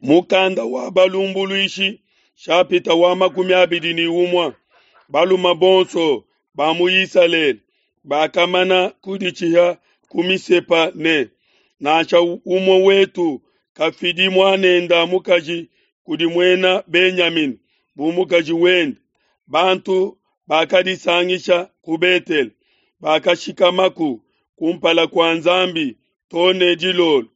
Mukanda wa Balumbuluishi shapita wa 21. Balume bonso ba mu Isalele bakamana kuditshiha ku Misepa ne, Nansha umue wetu kafidi muanende mukaji kudi muena Benyamina bu mukaji wende. Bantu bakadisangisha ku Betele, bakashikamaku kumpala kua Nzambi too ne dilolo.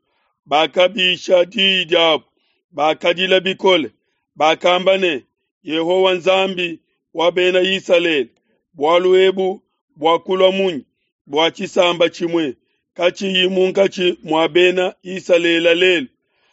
Bakabisha diyi diabu, bakadila bikole, bakamba ne, Yehowa Nzambi wa Bena Isalele, bualu ebu buakulua munyi bua tshisamba tshimue katshiyi munkatshi mua Bena Isalele lelu?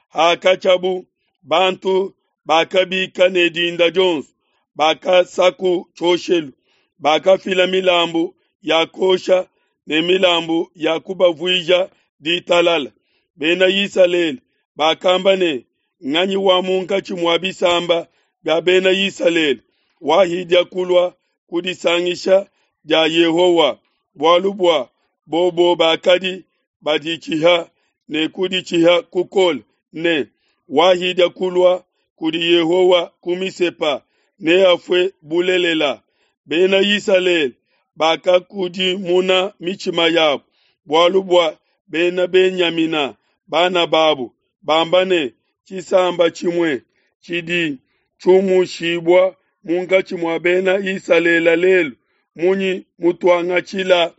Hakatshiabu, bantu bakabika ne dinda dionso, bakasaku tshioshelu, bakafila milambu ya kuosha ne milambu ya kubavuija ditalala. Bena Isalele bakamba ne, Nganyi wa munkatshi mua bisamba bia Bena Isalele wahidia kulua ku disangisha dia Yehowa? Bualu bua bobo bakadi baditshiha ne kuditshiha kukole ne, Wahidia kulua kudi Yehowa ku Misepa neafue bulelela. Bena Isalele bakakudimuna mitshima yabo bualu bua Bena Benyamina, bana babo, bamba ne, Tshisamba tshimue tshidi tshiumushibua munkatshi mua Bena Isalele lelu, munyi mutuangatshila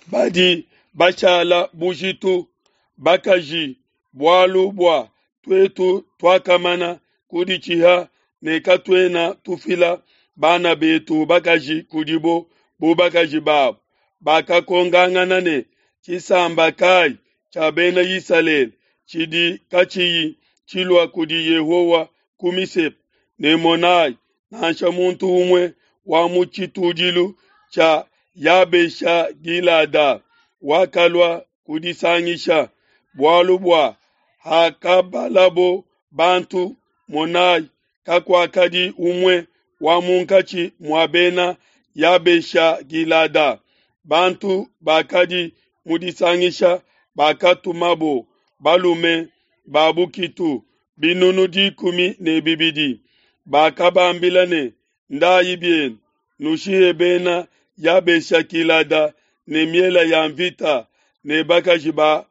badi bashala bujitu, bakaji, bualu bua tuetu tuakamana kuditshiha ne katuena tufila bana betu bakaji kudibo bu bakaji babo. Bakakongangana ne, Tshisamba kayi tshia Bena Isalele tshidi katshiyi tshilua kudi Yehowa ku Misepa? Ne monai, nansha muntu umue wa mu tshitudilu tshia Yabesha-gilada wakalua kudisangisha, bualu bua hakabalabo bantu, monai, kakuakadi umue wa munkatshi mua Bena Yabesha-gilada. Bantu bakadi mu disangisha bakatumabo balume ba bukitu 12000, bakabambila ne, Ndayi bienu, nushihe Bena Yabesha-gilada ne miele ya mvita ne bakaji ba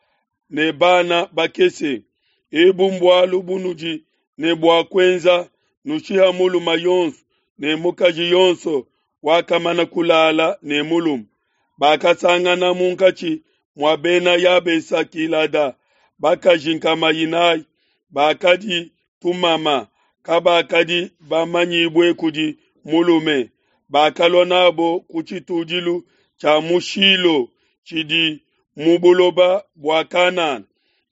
ne bana bakese. Ebu mbualu bunudi ne bua kuenza, nushiha mulume yonso ne mukaji yonso wakamana kulala ne mulume. Bakasangana munkatshi mua Bena Yabesha-gilada bakaji 400 bakadi tumama, kabakadi bamanyibue kudi mulume. Bakalua nabo ku tshitudilu tshia mu Shilo tshidi mu buloba bua Kanana.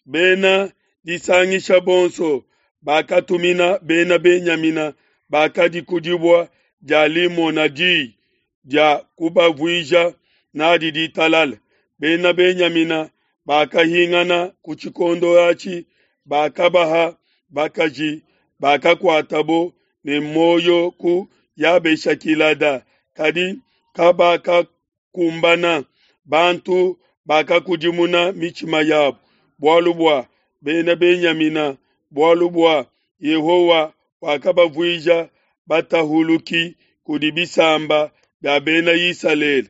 Bena disangisha bonso bakatumina Bena Benyamina bakadi ku dibue dia Limona diyi dia kubavuija nadi ditalala. Bena Benyamina bakahingana ku tshikondo atshi, bakabaha bakaji bakakuatabo ne muoyo ku Yabesha-gilada, kadi kabakakumbana. Bantu bakakudimuna mitshima yabo bualu bua Bena Benyamina, bualu bua Yehowa wakabavuija batahuluki kudi bisamba bia Bena Isalele.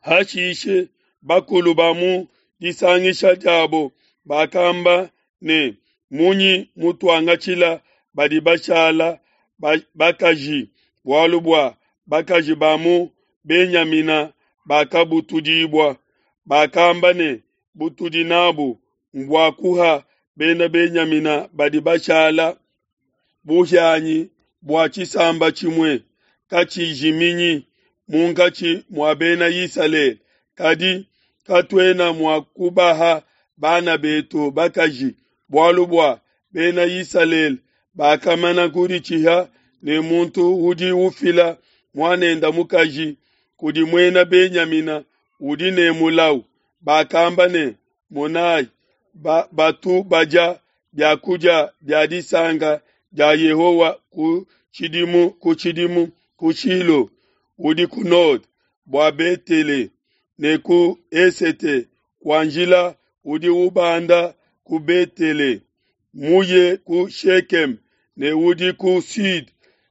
Hashishe bakulu ba mu disangisha diabo bakamba ne, Munyi mutuangatshila badi bashala bakaji, bualu bua bakaji ba mu Benyamina bakabutudibua? Bakamba ne, Butudi nabu mbua kuha Bena Benyamina badi bashala buhianyi bua tshisamba tshimue katshijiminyi munkatshi mua Bena Isalele, kadi katuena mua kubaha bana betu bakaji, bualu bua Bena Isalele bakamana kuditshiha ne muntu udi ufila muanende mukaji kudi muena Benyamina udi ne mulau. Bakamba ne, Monai, batu badia bia kudia bia disanka dia Yehowa ku tshidimu ku tshidimu ku Shilo udi ku node bua Betele ne ku esete kua njila udi ubanda ku Betele. muye ku Shekeme ne udi ku sud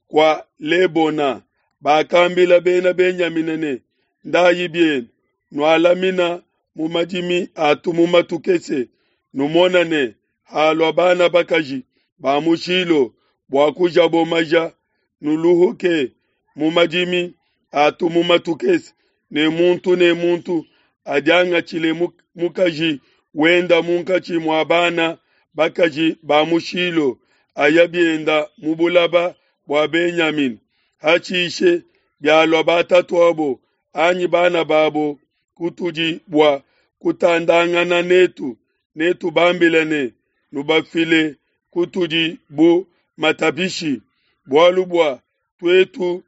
kua Lebona. Bakambila bena Benyamina ne, Ndayi bienu, nualamina mu madimi a tumuma tukese, numona ne halua bana bakaji ba mu Shilo bua kujabo maja, nuluhuke mu madimi a tumuma tukese, ne muntu ne muntu adiangatshile mukaji wenda munkatshi mua bana bakaji ba mu Shilo, aya bienda mu bulaba bua Benyamina. Hashishe bialua batatuabo anyi bana babo kutudi bua kutandangana netu, netubambile ne, Nubafile kutudi bu matapishi, bualu bua tuetu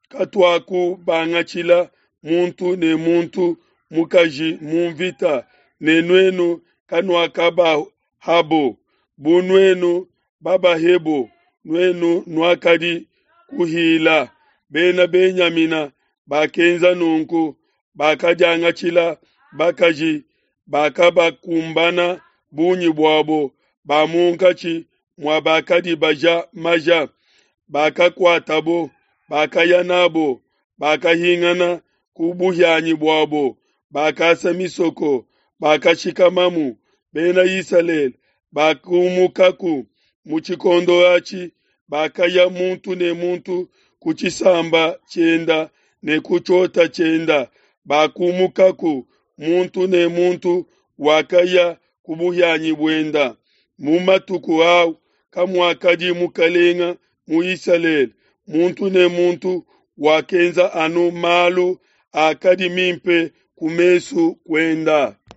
katuakubangatshila muntu ne muntu mukaji mu mvita, ne nuenu kanuakabahabo. Bu nuenu babahebo, nuenu nuakadi kuhila. Bena Benyamina bakenza nunku, bakadiangatshila bakaji bakabakumbana bungi buabo ba munkatshi mua bakadi baja maja, bakakuatabo, bakaya nabo, bakahingana ku buhianyi buabo, bakasa misoko, bakashikamamu. Bena Isalele bakumukaku mu tshikondo atshi, bakaya muntu ne muntu ku tshisamba tshienda ne ku tshiota tshienda, bakumukaku muntu ne muntu wakaya ku buhianyi buenda. Mu matuku au kamuakadi mukalenga mu Isalele, muntu ne muntu wakenza anu malu akadi mimpe ku mesu kuenda.